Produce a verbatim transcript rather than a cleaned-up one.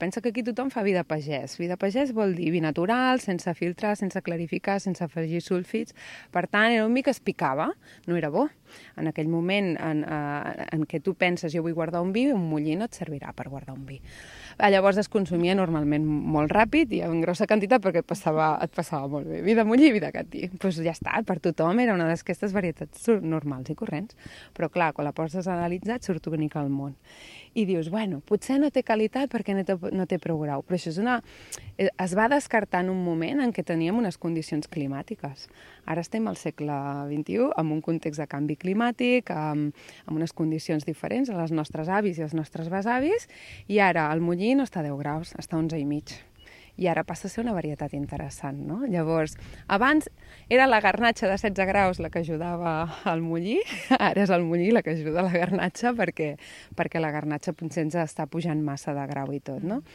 Pensa que aquí tothom fa vi de pagès. Vi de pagès vol dir vi natural, sense filtrar, sense clarificar, sense afegir sulfits. Per tant, era un vi que es picava, no era bo. En aquell moment en, eh, en què tu penses jo vull guardar un vi, un mullí no et servirà per guardar un vi. Llavors es consumia normalment molt ràpid i en grossa quantitat perquè et passava, et passava molt bé. Vi de mullí i vi de catí. Doncs pues ja està, per tothom era una d'aquestes varietats normals i corrents. Però clar, quan la poses analitzat surt única al món. I dius, bueno, potser no té qualitat perquè no té, no té prou grau, però això és una... es va descartar en un moment en què teníem unes condicions climàtiques. Ara estem al segle vint-i-u, amb un context de canvi climàtic, amb, amb unes condicions diferents a les nostres avis i als nostres besavis, i ara el mullí no està a deu graus, està a onze i mig. I ara passa a ser una varietat interessant, no? Llavors, abans era la garnatxa de setze graus la que ajudava al mullí, ara és el mullí la que ajuda a la garnatxa perquè, perquè la garnatxa potser ens està pujant massa de grau i tot, no?